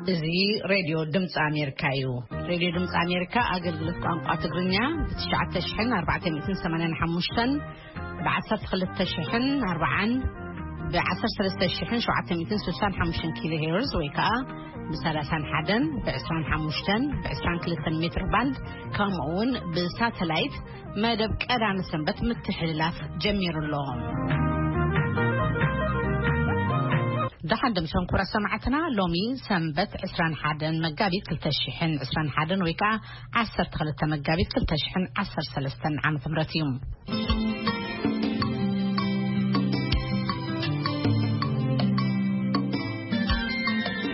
እዚ ሬድዮ ድምፂ ኣሜሪካ እዩ። ሬድዮ ድምፂ ኣሜሪካ ኣገልግሎት ቋንቋ ትግርኛ ብ ትሽዓተ ሽሕን ኣርባዕተ ሚእትን ሰማንያን ሓሙሽተን፣ ብ ዓሰርተ ክልተ ሽሕን ኣርባዓን፣ ብ ዓሰርተ ሰለስተ ሽሕን ሸውዓተ ሚእትን ስሳን ሓሙሽተን ኪሎ ሄርዝ ወይ ከዓ ብ ሰላሳን ሓደን፣ ብ ዕስራን ሓሙሽተን፣ ብ ዕስራን ክልተን ሜትር ባንድ፣ ከምኡ እውን ብሳተላይት መደብ ቀዳሚ ሰንበት ምትሕልላፍ ጀሚሩ ኣሎ። ደሓን ድምሶም ክቡራት ሰማዕትና፣ ሎሚ ሰንበት ዕስራን ሓደን መጋቢት ክልተ ሽሕን ዕስራን ሓደን ወይ ከዓ ዓሰርተ ክልተ መጋቢት ክልተ ሽሕን ዓሰርተ ሰለስተን ዓመተ ምህረት እዩ።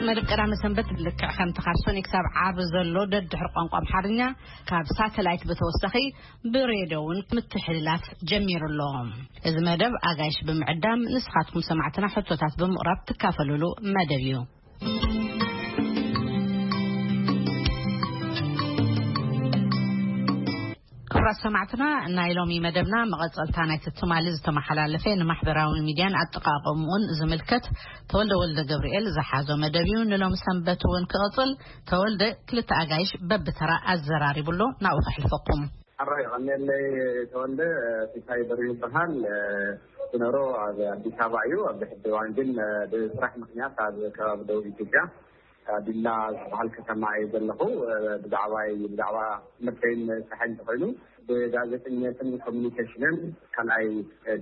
መደብ ቀዳሚ ሰንበት ልክዕ ከምቲ ካብ ሰኑይ ክሳብ ዓርቢ ዘሎ ደድሕሪ ቋንቋ ኣምሓርኛ ካብ ሳተላይት ብተወሳኺ ብሬድዮ እውን ምትሕልላፍ ጀሚሩ ኣሎ። እዚ መደብ ኣጋይሽ ብምዕዳም ንስኻትኩም ሰማዕትና ሕቶታት ብምቕራብ ትካፈሉሉ መደብ እዩ። ክቡራት ሰማዕትና፣ ናይ ሎሚ መደብና መቐጸልታ ናይቲ ትማሊ ዝተመሓላለፈ ንማሕበራዊ ሚድያን ኣጠቓቕምኡን ዝምልከት ተወልደ ወልደ ገብርኤል ዝሓዞ መደብ እዩ። ንሎሚ ሰንበት እውን ክቕጽል ተወልደ ክልተ ኣጋይሽ በብተራ ኣዘራሪቡ ኣሎ። ናብኡ ከሕልፈኩም። ኣራይ ቀኒለይ ተወልደ። ፊታይ በሪሁ ይበሃል። ዝነሮ ኣብ ኣዲስ ኣበባ እዩ። ኣብዚ ሕጂ እዋን ግን ብስራሕ ምክንያት ኣብ ከባቢ ደቡብ ኢትዮጵያ ዲላ ዝበሃል ከተማ እየ ዘለኹ። ብዛዕባይ ብዛዕባ ትምህርተይን ስራሕን እንተኾይኑ ብጋዜጠኝነትን ኮሚኒኬሽንን ካልኣይ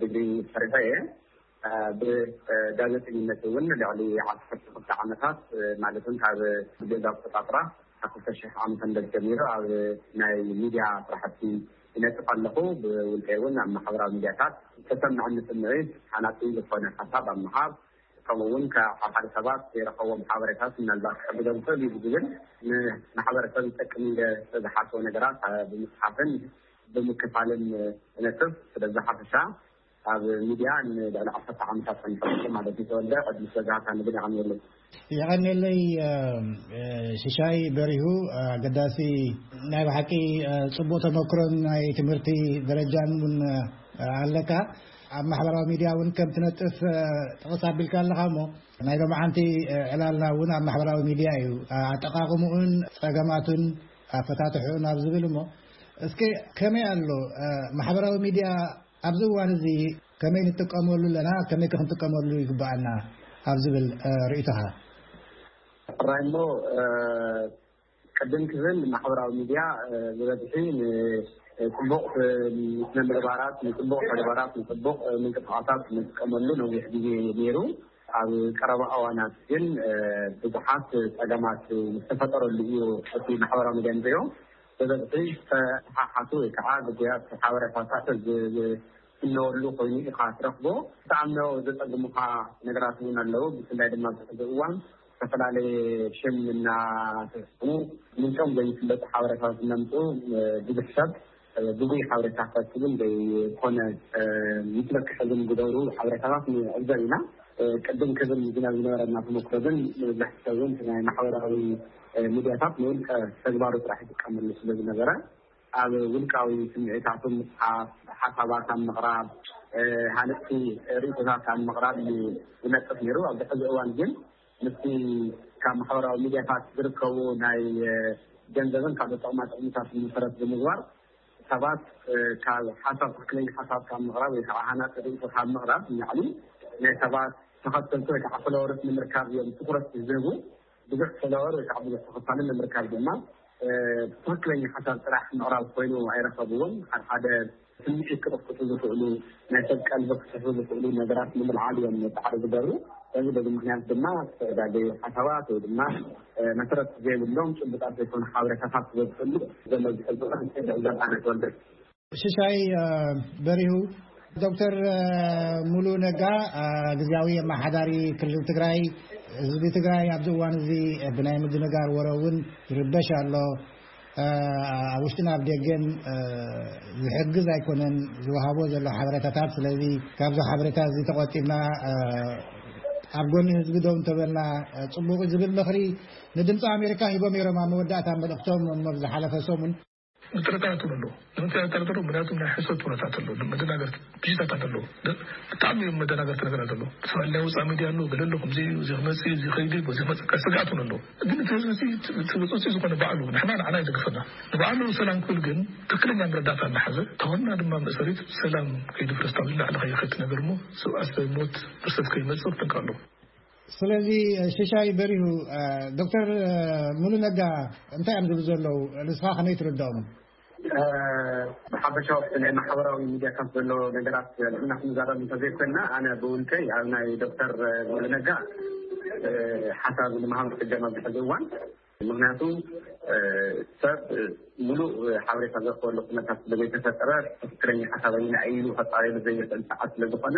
ዲግሪ ሰሪሐ እየ። ብጋዜጠኝነት እውን ልዕሊ ዓሰርተ ክልተ ዓመታት ማለት እውን ካብ ገዛ ኣቆጻጽራ ካብ ክልተ ሽሕ ዓመተ ምህረት ጀሚሩ ኣብ ናይ ሚድያ ስራሕቲ ይነጥፍ ኣለኹ። ብውልቀይ እውን ኣብ ማሕበራዊ ሚድያታት ዝተሰምዐኒ ስምዒት ሓናጺ ዝኾነ ሓሳብ ኣብ ምሃብ ከምኡ እውን ካብ ሓደ ሰባት ዘይረኸቦም ሓበሬታት ምናልባት ክሕግዞም ይኽእል እዩ ብዝብል ንማሕበረሰብ ይጠቅም ኢለ ዝተዝሓስቦ ነገራት ብምፅሓፍን ብምክፋልን እነጥፍ። ስለዚ ሓፈሻ ኣብ ሚድያ ንልዕሊ ዓሰርተ ዓመታት ጸኒሐ ኣለኹ ማለት እዩ። ተወልደ ዕድል ስለዝሃብካኒ ግን የቐንየለይ። የቐንየለይ። ሽሻይ በሪሁ፣ ኣገዳሲ ናይ ብሓቂ ጽቡቕ ተመክሮን ናይ ትምህርቲ ደረጃን እውን ኣለካ። ኣብ ማሕበራዊ ሚድያ እውን ከም ትነጥፍ ጥቕስ ኣቢልካ ኣለኻ እሞ ናይ ሎማዓንቲ ዕላልና እውን ኣብ ማሕበራዊ ሚድያ እዩ። ኣጠቓቕምኡን ጸገማቱን ኣፈታትሕኡን ኣብ ዝብል እሞ እስኪ ከመይ ኣሎ ማሕበራዊ ሚድያ ኣብዚ እዋን እዚ ከመይ ንጥቀመሉ ኣለና፣ ከመይ ከ ክንጥቀመሉ ይግብኣና ኣብ ዝብል ርእይቶኻ? ጥራይ እሞ ቅድም ክብል ማሕበራዊ ሚድያ ብበዝሒ ንፅቡቕ ስነ ምግባራት፣ ንፅቡቕ ተግባራት፣ ንፅቡቕ ምንቅስቃሳት ንጥቀመሉ ነዊሕ ግዜ ነይሩ። ኣብ ቀረባ እዋናት ግን ብዙሓት ፀገማት ዝተፈጠረሉ እዩ እቲ ማሕበራዊ ሚድያ ንሪኦ። ብበዝሒ ዝተሓሓቱ ወይ ከዓ ግጉያት ሓበሬታታት ዝፍነወሉ ኮይኑ ኢኻ ትረኽቦ። ክትኣምኖ ዘፀግሙኻ ነገራት እውን ኣለዉ። ብፍላይ ድማ ኣብዚ ሕዚ እዋን ዝተፈላለየ ሽም እናተስሙ ምንጮም ዘይፍለጡ ሓበሬታታት እናምፅኡ ብዙሕ ሰብ ብጉይ ሓበሬታ ክረክብን ዘይኮነ ምስመክሐዝን ዝገብሩ ሓበሬታታት ንዕዘብ ኢና። ቅድም ክብል ዝና ዝነበረና ተመክሮ ግን መብዛሕቲ ሰብ እውን ናይ ማሕበራዊ ሚድያታት ንውልቀ ተግባሩ ጥራሕ ይጥቀመሉ ስለ ዝነበረ ኣብ ውልቃዊ ስምዒታቱ ምፅሓፍ፣ ሓሳባት ኣብ ምቕራብ፣ ሃነፅቲ ርእይቶታት ኣብ ምቕራብ እዩ ዝነጥፍ ነይሩ። ኣብዚ ሕዚ እዋን ግን ምስቲ ካብ ማሕበራዊ ሚድያታት ዝርከቡ ናይ ገንዘብን ካልኦት ጥቕማ ጥቕምታት መሰረት ብምግባር ሰባት ካብ ሓሳብ ትክክለኛ ሓሳብ ካብ ምቕራብ ወይ ከዓ ሃናፂ ርእይቶ ካብ ምቕራብ ንላዕሊ ናይ ሰባት ተኸተልቲ ወይ ከዓ ፎሎወርስ ንምርካብ እዮም ትኩረት ዝህቡ። ብዙሕ ፎሎወር ወይ ከዓ ብዙሕ ተኸታሊ ንምርካብ ድማ ትክክለኛ ሓሳብ ጥራሕ ምቕራብ ኮይኑ ኣይረኸብዎን። ሓደ ሓደ ስምዒት ክቕስቅሱ ዝኽእሉ ናይ ሰብ ቀልቢ ክስሕቡ ዝኽእሉ ነገራት ንምልዓል እዮም ፃዕሪ ዝገብሩ። ስለዚ በዚ ምክንያት ድማ ዝተጋገዩ ሓሳባት ወይ ድማ መሰረት ዘይብሎም ጭቡጣት ዘይኮኑ ሓበሬታታት ዝበዝሕሉ ዘሎ ዝሕዝነ ዘባነ ተወልደ። ሽሻይ በሪሁ፣ ዶክተር ሙሉ ነጋ ግዝያዊ ኣመሓዳሪ ክልል ትግራይ፣ ህዝቢ ትግራይ ኣብዚ እዋን እዚ ብናይ ምድንጋር ወረ እውን ይርበሽ ኣሎ። ኣብ ውሽጥን ኣብ ደገን ዝሕግዝ ኣይኮነን ዝወሃቦ ዘሎ ሓበሬታታት። ስለዚ ካብዚ ሓበሬታ እዚ ተቆጢብና ኣብ ጎኒ ህዝቢ ደው እንተበልና ፅቡቅ ዝብል ምኽሪ ንድምፂ ኣሜሪካ ሂቦም ነይሮም ኣብ መወዳእታ መልእክቶም እሞ ብዝሓለፈ ሰሙን ምጥርጣራት እውን ኣለዎ። ንምንታይ ኣጠርጥሩ? ምክንያቱም ናይ ሕሰት ኩነታት ኣሎ፣ መደናገርቲ ብሽታት ኣሎ። ብጣዕሚ እዮም መደናገርቲ ነገራት ኣሎ። ሰብኣይ ናይ ውፃእ ሚድያ ኣሎ፣ ገለ ኣሎ፣ ከምዚ እዩ፣ እዚ ክመፅእ እዩ፣ እዚ ከይዱ እዩ፣ በዚ ክመፅእ፣ ስግኣት እውን ኣሎ። ግን እቲ ህዝቢ እዚ እቲ ውፅእ ዝኾነ ባዕሉ ንሕና ንዓና ይደግፈና፣ ንባዕሉ ሰላም ክብል ግን ትክክለኛ መረዳእታ እናሓዘ፣ ተወና ድማ መእሰሪት ሰላም ከይድፍረስ ካብ ዝላዕሊ ከይኸት ነገር እሞ ሰብኣስ ሞት ብርሰት ከይመፅእ ክጠንቀቕ ኣለዎ። ስለዚ ሽሻይ በሪሁ፣ ዶክተር ሙሉ ነጋ እንታይ እዮም ዝብሉ ዘለዉ? ንስኻ ከመይ ትርድኦም? ብሓፈሻ ናይ ማሕበራዊ ሚድያታት ዘሎ ነገራት ንሕና ክንዛረብ እንተዘይኮንና፣ ኣነ ብውልቀይ ኣብ ናይ ዶክተር ሙሉ ነጋ ሓሳብ ንምሃብ ክጀመር ዝሕዚ እዋን። ምክንያቱ ሰብ ሙሉእ ሓበሬታ ዘረክበሉ ኩነታት ስለዘይተፈጠረ፣ ትክክለኛ ሓሳብ ኣየናይ ኢሉ ከፃረየሉ ዘይኽእል ሰዓት ስለዝኾነ፣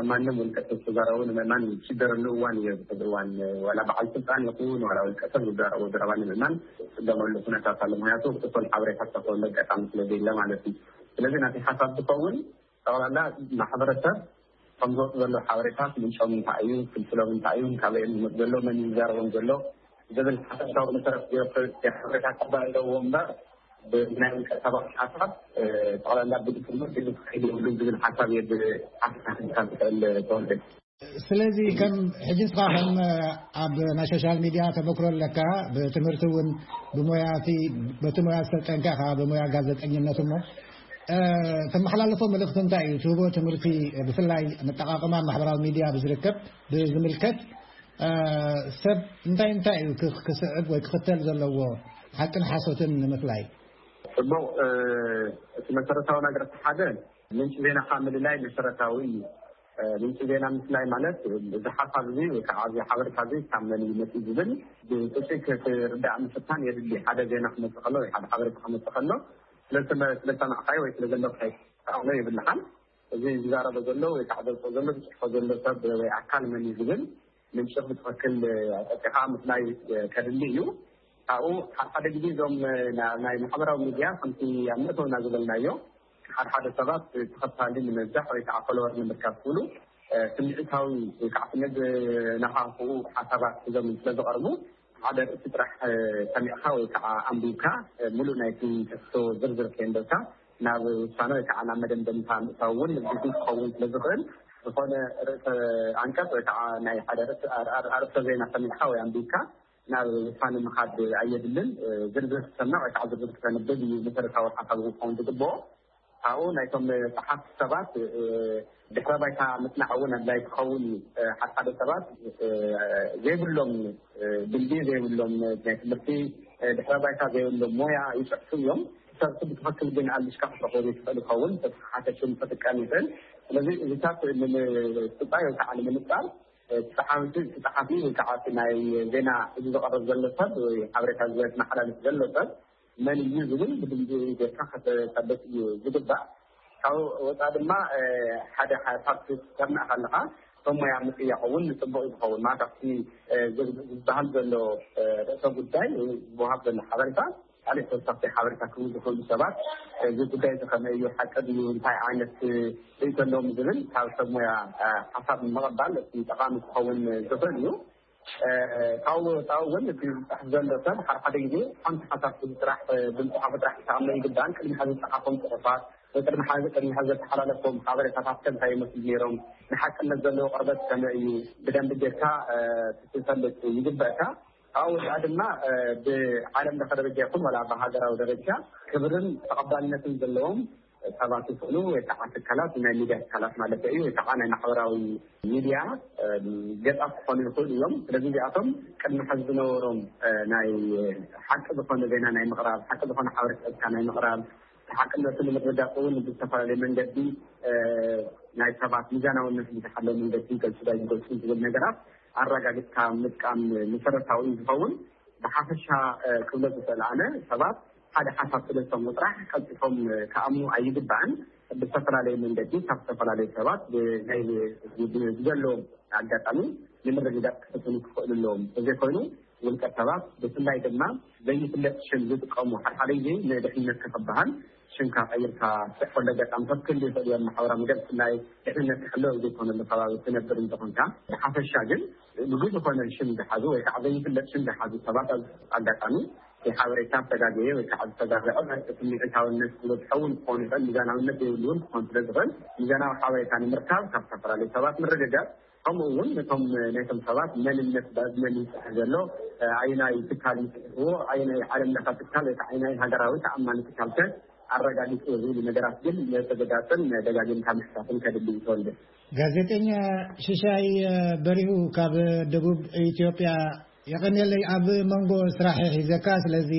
ማንም ውልቀ ሰብ ተዛረቡ ንምእማን ዝሽገረሉ እዋን እዩ። እዚ እዋን ዋላ በዓል ስልጣን ይኹን ዋላ ውልቀ ሰብ ዝዛረቦ ዘረባ ንምእማን ዝፅገመሉ ኩነታት ኣሎ። ምክንያቱ እኩል ሓበሬታ ዝረክበሉ ኣጋጣሚ ስለዘየለ ማለት እዩ። ስለዚ ናተይ ሓሳብ ዝኸውን ጠቕላላ ማሕበረሰብ ከም ዝወፁ ዘሎ ሓበሬታት ምንጮም እንታይ እዩ፣ ፍልፍሎም እንታይ እዩ፣ ካበይ እዮም ዝመፁ ዘሎ፣ መን እዩ ዝዛረቦም ዘሎ ዝብል ሓፈሻዊ መሰረት ዘየፍርድ ሓበሬታ ክባል ኣለዎ እምበር፣ ብናይ ውልቀ ሰባት ሓሳብ ጠቕላላ ብድፍኑ ድግፍ ክኸይድ የብሉን ዝብል ሓሳብ እየ ብሓፈሻ ክዝካር ዝኽእል። ተወልደ። ስለዚ ከም ሕጂ ንስኻ ከም ኣብ ናይ ሶሻል ሚድያ ተመክሮ ኣለካ፣ ብትምህርቲ እውን ብሞያ እቲ በቲ ሞያ ዝተጠንቀኻ ብሞያ ጋዜጠኝነት እሞ ተመሓላልፎ መልእኽቲ እንታይ እዩ? ትህቦ ትምህርቲ ብፍላይ መጠቓቕማ ማሕበራዊ ሚድያ ብዝርከብ ብዝምልከት ሰብ እንታይ እንታይ እዩ ክስዕብ ወይ ክኽተል ዘለዎ ሓቅን ሓሶትን ንምፍላይ? ጽቡቕ። እቲ መሰረታዊ ነገር እቲ ሓደ ምንጪ ዜናኻ ምልላይ መሰረታዊ እዩ። ምንጪ ዜና ምፍላይ ማለት እዚ ሓሳብ እዚ ወይ ከዓ እዚ ሓበሬታ እዚ ካብ መን እዩ መፅኡ ዝብል ብጥቂት ክርዳእ ምፍታን የድሊ። ሓደ ዜና ክመፅእ ከሎ ወይ ሓደ ሓበሬታ ክመፅእ ከሎ ስለዝሰማዕካዮ ወይ ስለዘለካዮ የብልኻን። እዚ ዝዛረቦ ዘሎ ወይ ከዓ ዘውፅኦ ዘሎ ዝፅሕፎ ዘሎ ሰብ ወይ ኣካል መን እዩ ዝብል ምንጭ ብትኽክል ኣጠቂኻ ምፍላይ ከድሊ እዩ። ካብኡ ሓደ ሓደ ግዜ እዞም ናይ ማሕበራዊ ሚድያ ከምቲ ኣብ መእተውና ዝበልናዮ ሓደ ሓደ ሰባት ተኸታሊ ንምብዛሕ ወይ ከዓ ፎሎወር ንምርካብ ክብሉ ስምዒታዊ ወይ ከዓ ስምዒት ዝነኻኽኡ ሓሳባት ሒዞም ስለዝቐርቡ ሓደ ርእሲ ጥራሕ ሰሚዕካ ወይ ከዓ ኣንቢብካ ሙሉእ ናይቲ ትሕዝቶ ዝርዝር ከየንበብካ ናብ ውሳነ ወይ ከዓ ናብ መደምደምታ ምእታው እውን ግጉይ ክኸውን ስለዝኽእል ዝኾነ ርእሰ ኣንቀፅ ወይ ከዓ ናይ ሓደ ኣርእስተ ዜና ሰሚዕካ ወይ ኣንቢብካ ናብ ውሳነ ምኻድ ኣየድልን። ዝርዝር ክትሰምዕ ወይ ከዓ ዝርዝር ክተንብብ እዩ መሰረታዊ ሓሳብ ክኸውን ዝግብኦ። ካብኡ ናይቶም ፀሓፍቲ ሰባት ድሕረ ባይታ ምፅናዕ እውን ኣድላይ ክኸውን እዩ። ሓደ ሓደ ሰባት ዘይብሎም ድልድል ዘይብሎም ናይ ትምህርቲ ድሕረ ባይታ ዘይብሎም ሞያ ይፅሕፉ እዮም። ሰብ ብትኽክል ግን ኣልሽካ ክትረኽቦ ዘይትኽእል ይኸውን። ተተሓሓተ ሽም ክጥቀም ይኽእል። ስለዚ እዚታት ንምፅባይ ወይ ከዓ ንምንፃር እቲ ፀሓፊ ወይ ከዓ ናይ ዜና እዚ ዝቐርብ ዘሎ ሰብ ወይ ሓበሬታ ዝመሓላልፍ ዘሎ ሰብ መን እዩ ዝብል ብድምፂ ጌርካ ከተሳልጥ እዩ ዝግባእ። ካብ ወፃ ድማ ሓደ ሓሳብ ክትሰምዕ ከለካ እቶም ሞያ ምጥያቕ እውን ፅቡቅ ዝኸውን ማለት ኣብቲ ዝበሃል ዘሎ ርእሰ ጉዳይ ዝወሃብ ዘሎ ሓበሬታ ካልእ ተወሳኺ ሓበሬታ ክህቡ ዝኽእሉ ሰባት እዚ ጉዳይ እዚ ከመይ እዩ፣ ሓቂ ድዩ፣ እንታይ ዓይነት ርእይቶ ኣለዎም ዝብል ካብ ሰብ ሞያ ሓሳብ ምቕባል እቲ ጠቓሚ ክኸውን ዝኽእል እዩ። ካብኡ ወፃኢ እውን እቲ ዝፅሕፍ ዘሎ ሰብ ሓደ ሓደ ግዜ ሓንቲ ሓሳብ ስራሕ ብዝፅሓፎ ጥራሕ ክተኣመ ይግባእን ቅድሚ ሕዚ ዝፀሓፎም ፅሑፋት ወይ ቅድሚ ሕዚ ቅድሚ ሕዚ ዘተሓላለፎም ሓበሬታታት ከ እንታይ ይመስሉ ነይሮም፣ ንሓቅነት ዘለዎ ቅርበት ከመይ እዩ ብደንቢ ጌርካ ክትፈልጥ ይግበእካ። ካብኡ ወፃኢ ድማ ብዓለም ለኸ ደረጃ ይኹን ዋላ ብሃገራዊ ደረጃ ክብርን ተቐባልነትን ዘለዎም ሰባት ይኹኑ ወይ ከዓ ትካላት ናይ ሚድያ ትካላት ማለት እዩ ወይ ከዓ ናይ ማሕበራዊ ሚድያ ገፃት ክኾኑ ይኽእሉ እዮም። ስለዚ እዚኣቶም ቅድሚ ሕዚ ዝነበሮም ናይ ሓቂ ዝኾነ ዜና ናይ ምቕራብ ሓቂ ዝኾነ ሓበሬታትካ ናይ ምቕራብ ሓቅነቱ ንምርዳእ እውን ብዝተፈላለየ መንገዲ ናይ ሰባት ሚዛናውነት ብዝሓለወ መንገዲ ይገልፁ ኣይገልፁ ዝብል ነገራት ኣረጋጊፅካ ምጥቃም መሰረታዊ እዩ ዝኸውን። ብሓፈሻ ክብሎ ዝኽእል ኣነ ሰባት ሓደ ሓሳብ ስለ ዝሰምዑ ጥራሕ ቀልጢፎም ክኣምኑ ኣይግባእን። ብዝተፈላለየ መንገዲ ካብ ዝተፈላለዩ ሰባት ብናይ ብዘለዎም ኣጋጣሚ ንምርግጋፅ ክፍትኑ ክኽእሉ ኣለዎም። ተዘይኮይኑ ውልቀ ሰባት ብፍላይ ድማ ዘይፍለጥ ሽም ዝጥቀሙ ሓደ ሓደ ግዜ ንድሕንነትካ ክበሃል ሽምካ ቀይርካ ትፅሕፈሉ ኣጋጣሚታት ክህሉ ይኽእል እዮም። ማሕበራዊ ሚድያ ብፍላይ ድሕንነት ክሕሎ ኣብ ዘይኮነሉ ከባቢ ትነብር እንተኾንካ ብሓፈሻ ግን ግጉይ ዝኾነ ሽም ዝሓዙ ወይ ከዓ ዘይፍለጥ ሽም ዝሓዙ ሰባት ኣብዚ ኣጋጣሚ ሓበሬታ ዝተጋገየ ወይ ከዓ ዝተጋገዐ ስምዒታውነት ዝበዝሐ እውን ክኾን ይኽእል፣ ሚዛናውነት ዘይብሉ እውን ክኾን ስለ ዝኽእል፣ ሚዛናዊ ሓበሬታ ንምርካብ ካብ ዝተፈላለዩ ሰባት ምርግጋፅ፣ ከምኡ እውን ነቶም ናይቶም ሰባት መንነት ብመን ይፅሕፍ ዘሎ፣ ኣየናይ ትካል ይፅሕፍዎ፣ ኣየናይ ዓለም ለኸ ትካል ወይ ከዓ ኣየናይ ሃገራዊ ተኣማኒ ትካል ከ ኣረጋጊፅዎ ዝብሉ ነገራት ግን ምርግጋፅን ደጋጊምካ ምሕታትን ከድሊ እዩ። ተወልደ። ጋዜጠኛ ሽሻይ በሪሁ ካብ ደቡብ ኢትዮጵያ፣ የቐንየለይ ኣብ መንጎ ስራሕ ሒዘካ፣ ስለዚ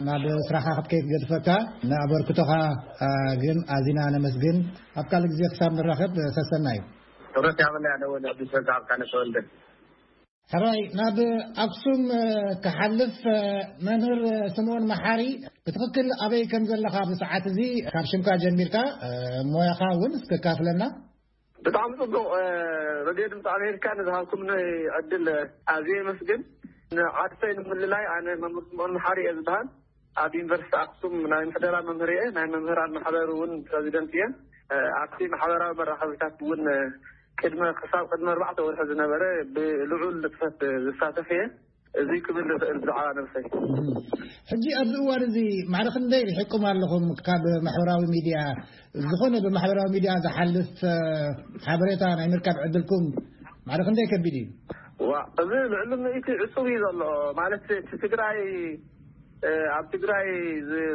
ናብ ስራሕካ ክትከይድ ገድፈካ፣ ንኣበርክቶኻ ግን ኣዚና ነመስግን። ኣብ ካልእ ግዜ ክሳብ ንራኸብ ሰሰናዩ። ክብረት ያብላ ያለው ወደ አዲስ መጽሐፍ ካነሰ ወልደ። ሕራይ ናብ ኣክሱም ክሓልፍ፣ መምህር ስምኦን መሓሪ፣ ብትኽክል ኣበይ ከም ዘለኻ ብሰዓት እዚ ካብ ሽምካ ጀሚርካ ሞያኻ እውን እስከካፍለና። ብጣዕሚ ጽቡቕ። ረድዮ ድምፂ ኣሜሪካ ንዝሃብኩምኒ ዕድል ኣዝየ የመስግን። ንዓድሰይ ንምልላይ ኣነ መምህር ስምኦን መሓሪ እየ ዝበሃል። ኣብ ዩኒቨርሲቲ ኣክሱም ናይ ምሕደራ መምህር እየ። ናይ መምህራን ማሕበር እውን ፕረዚደንት እየ። ኣብቲ ማሕበራዊ መራኸቢታት እውን ቅድመ ክሳብ ቅድሚ ኣርባዕተ ወርሒ ዝነበረ ብልዑል ንጥፈት ዝሳተፍ እየ። እዚ ክብል ዝኽእል ብዛዕባ ነብሰይ። ሕጂ ኣብዚ እዋን እዚ ማዕረ ክንደይ ርሒቁም ኣለኹም ካብ ማሕበራዊ ሚድያ? ዝኾነ ብማሕበራዊ ሚድያ ዝሓልፍ ሓበሬታ ናይ ምርካብ ዕድልኩም ማዕረ ክንደይ ከቢድ እዩ? ዋ፣ እዚ ልዕሊ ምእቲ ዕጹብ እዩ ዘሎ። ማለት እቲ ትግራይ ኣብ ትግራይ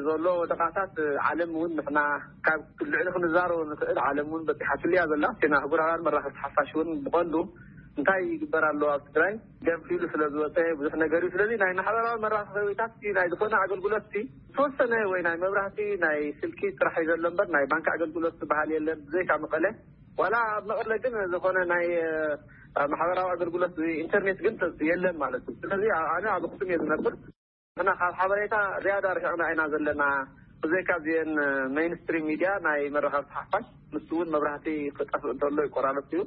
ዘሎ ወደቓታት ዓለም እውን ንሕና ካብ ልዕሊ ክንዛረቦ ንኽእል። ዓለም እውን በፂሓትሉ እያ ዘላ። ቴና ኣህጉራውያን መራኸብቲ ሓፋሽ እውን ብቐንዱ እንታይ ይግበር ኣሎ ኣብ ትግራይ ገንፊሉ ስለ ዝወፀ ብዙሕ ነገር እዩ። ስለዚ ናይ ማሕበራዊ መራኸቢታት ናይ ዝኾነ ኣገልግሎት ዝተወሰነ ወይ ናይ መብራህቲ ናይ ስልኪ ጥራሕ እዩ ዘሎ እምበር ናይ ባንክ ኣገልግሎት ዝበሃል የለን ብዘይካ መቐለ። ዋላ ኣብ መቐለ ግን ዝኾነ ናይ ማሕበራዊ ኣገልግሎት ኢንተርኔት ግን የለን ማለት እዩ። ስለዚ ኣነ ኣብ ኣክሱም እየ ዝነብር። ንሕና ካብ ሓበሬታ ዝያዳ ርሒቕና ኢና ዘለና። ብዘይካ እዚአን ሜይንስትሪም ሚድያ ናይ መራኸብቲ ሓፋሽ ንሱ እውን መብራህቲ ክጠፍእ እንተሎ ይቆራረፅ እዩ።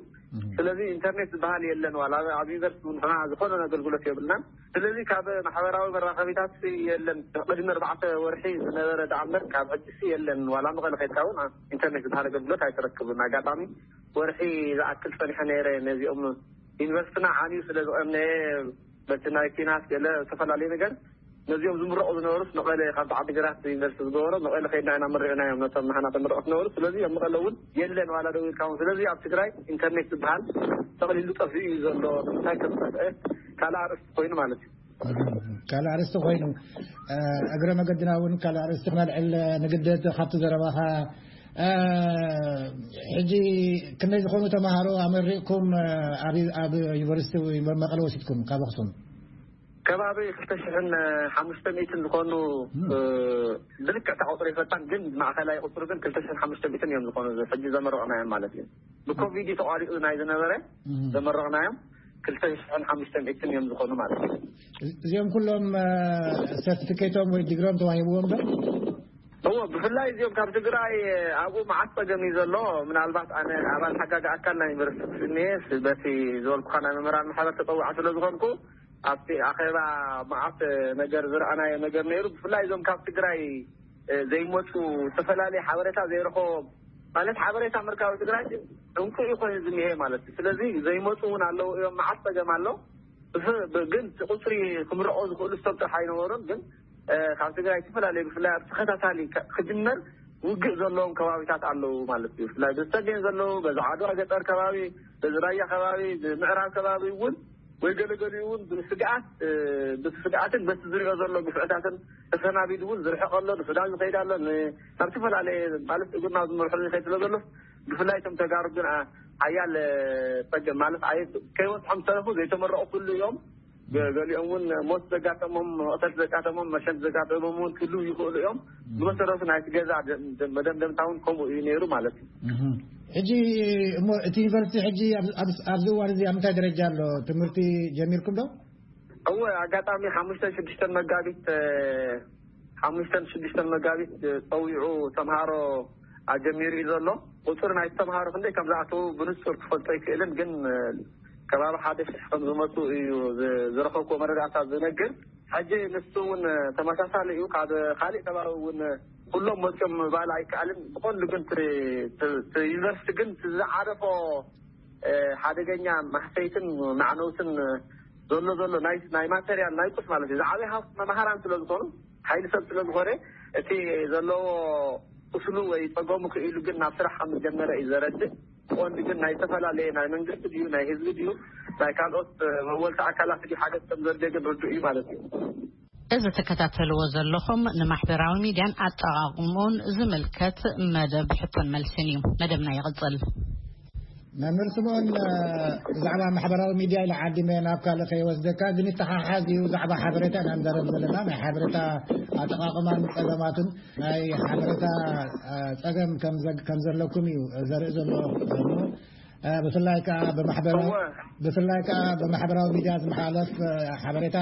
ስለዚ ኢንተርኔት ዝበሃል የለን። ዋላ ኣብ ዩኒቨርሲቲ እውን ንሕና ዝኾነ ኣገልግሎት የብልናን። ስለዚ ካብ ማሕበራዊ መራኸቢታት የለን። ቅድሚ ኣርባዕተ ወርሒ ዝነበረ ደኣ እምበር ካብ ሕጂ የለን። ዋላ መቐለ ከድካ እውን ኢንተርኔት ዝበሃል ኣገልግሎት ኣይትረክብን። ኣጋጣሚ ወርሒ ዝኣክል ፀኒሐ ነይረ ነዚኦም ዩኒቨርሲቲና ዓንዩ ስለ ዝቐነየ በቲ ናይ ኪናት ገለ ዝተፈላለዩ ነገር ነዚኦም ዝምረቑ ዝነበሩስ መቐለ ካብ ዓዲግራት ዩኒቨርሲቲ ዝገበሮ መቐለ ከይድና ኢና መሪቕናዮም ነቶም ንሓና ተመረቑ ዝነበሩ። ስለዚ ኣብ መቐለ እውን የለን ዋላ ደው ኢልካ እውን። ስለዚ ኣብ ትግራይ ኢንተርኔት ዝበሃል ጠቕሊሉ ጠፊኡ እዩ ዘሎ። እንታይ ከም ዝጠፍአ ካልእ ኣርእስቲ ኮይኑ ማለት እዩ። ካልእ ኣርእስቲ ኮይኑ እግረ መገድና እውን ካልእ ኣርእስቲ ክነልዕል ንግደድ ካብቲ ዘረባኻ። ሕጂ ክንደይ ዝኾኑ ተምሃሮ ኣመሪቕኩም ኣብ ዩኒቨርሲቲ መቐለ ወሲድኩም ካብ ኣኽሱም? ከባቢ ክልተ ሽሕን ሓሙሽተ ሚእትን ዝኾኑ ብልክዕ እታ ቁፅሪ ይፈታን ግን ማእኸላይ ቁፅሪ ግን ክልተ ሽሕን ሓሙሽተ ሚእትን እዮም ዝኾኑ ሕጂ ዘመረቕናዮም ማለት እዩ። ብኮቪድ ተቋሪፁ ናይ ዝነበረ ዘመረቕናዮም ክልተ ሽሕን ሓሙሽተ ሚእትን እዮም ዝኾኑ ማለት እዩ። እዚኦም ኩሎም ሰርቲፊኬቶም ወይ ዲግሮም ተዋሂብዎም ዶ? እዎ፣ ብፍላይ እዚኦም ካብ ትግራይ ኣብኡ መዓት ፀገም እዩ ዘሎ። ምናልባት ኣነ ኣባል ሓጋጊ ኣካል ናይ ዩኒቨርሲቲ ስኒ በቲ ዝበልኩካ ናይ መምህራን ማሕበር ተፀዋዕ ስለ ዝኾንኩ ኣብቲ ኣኼባ መዓት ነገር ዝረኣናዮ ነገር ነይሩ። ብፍላይ እዞም ካብ ትግራይ ዘይመፁ ዝተፈላለዩ ሓበሬታ ዘይረኸቦም ማለት ሓበሬታ ምርካብ ትግራይ ዕንቁ እዩ ኮይኑ ዝኒሀ ማለት እዩ። ስለዚ ዘይመፁ እውን ኣለዉ እዮም። መዓት ፀገም ኣሎ። ግን ቁፅሪ ክምረቑ ዝኽእሉ ሰብ ጥራሕ ኣይነበሩን። ግን ካብ ትግራይ ዝተፈላለዩ ብፍላይ ኣብ ተኸታታሊ ክጅመር ውግእ ዘለዎም ከባቢታት ኣለዉ ማለት እዩ። ብፍላይ ብዝተገኝ ዘለዉ በዚ ዓድዋ ገጠር ከባቢ፣ በዚ ራያ ከባቢ፣ ብምዕራብ ከባቢ እውን ወይ ገለገሊኡ እውን ብስግኣት ብስግኣትን በቲ ዝሪኦ ዘሎ ግፍዕታትን ተሰናቢዱ እውን ዝርሕቕ ኣሎ፣ ንሱዳን ዝኸይድ ኣሎ፣ ናብ ዝተፈላለየ ማለት እግርና ዝመርሖ ዝኸይድ ስለ ዘሎ ብፍላይ እቶም ተጋሩ ግን ሓያል ፀገም ማለት ከይወፅሖም ዝተረፉ ዘይተመረቑ ኩሉ እዮም። ገሊኦም እውን ሞት ዘጋጠሞም፣ መቕተልቲ ዘጋጠሞም፣ መሸንቲ ዘጋጠሞም እውን ክህልው ይኽእሉ እዮም። ብመሰረቱ ናይቲ ገዛ መደምደምታ እውን ከምኡ እዩ ነይሩ ማለት እዩ። ሕጂ እሞ እቲ ዩኒቨርሲቲ ሕጂ ኣብዚ እዋን እዚ ኣብ ምንታይ ደረጃ ኣሎ? ትምህርቲ ጀሚርኩም ዶ? እወ፣ ኣጋጣሚ ሓሙሽተን ሽዱሽተን መጋቢት ሓሙሽተን ሽዱሽተን መጋቢት ፀዊዑ ተምሃሮ ኣጀሚሩ እዩ ዘሎ። ቁፅሪ ናይ ተምሃሮ ክንደይ ከም ዝኣተዉ ብንፁር ክፈልጦ ኣይክእልን፣ ግን ከባቢ ሓደ ሽሕ ከም ዝመፁ እዩ ዝረኸብኩዎ መረዳእታ ዝነግር። ሕጂ ንሱ እውን ተመሳሳሊ እዩ። ካብ ካሊእ ከባቢ እውን ኩሎም መፅኦም ምባል ኣይከኣልን። ብቐንዱ ግን ዩኒቨርሲቲ ግን ዝዓረፎ ሓደገኛ ማህሰይትን ማዕነውትን ዘሎ ዘሎ ናይ ናይ ማቴሪያል ናይ ቁስ ማለት እዩ። ዝዓበየ ሃፍቲ መምሃራን ስለ ዝኾኑ፣ ሓይሊ ሰብ ስለ ዝኾነ፣ እቲ ዘለዎ ቁስሉ ወይ ጸገሙ ክኢሉ ግን ናብ ስራሕ ከም ዝጀመረ እዩ ዘረድእ። ቀንዲ ግን ናይ ዝተፈላለየ ናይ መንግስቲ ድዩ ናይ ህዝቢ ድዩ ናይ ካልኦት መወልቲ ኣካላት ድዩ ሓገዝ ከም ዘድልዮ ግን ርዱእ እዩ ማለት እዩ። እዚ ትከታተልዎ ዘለኹም ንማሕበራዊ ሚድያን ኣጠቓቕምኡን ዝምልከት መደብ ሕቶን መልስን እዩ። መደብና ይቕጽል። መምህር ስምኦን፣ ብዛዕባ ማሕበራዊ ሚድያ ኢለ ዓዲመ ናብ ካልእ ከይወስደካ፣ ግን ይተሓሓዝ እዩ። ብዛዕባ ሓበሬታ ኢና ንዛረብ ዘለና፣ ናይ ሓበሬታ ኣጠቓቕማን ጸገማቱን። ናይ ሓበሬታ ጸገም ከም ዘ- ከም ዘለኩም እዩ ዘርኢ ዘሎ። ብፍላይ ከዓ ብማሕበራዊ እወ። ብፍላይ ከዓ ብማሕበራዊ ሚድያ ዝመሓለፍ ሓበሬታ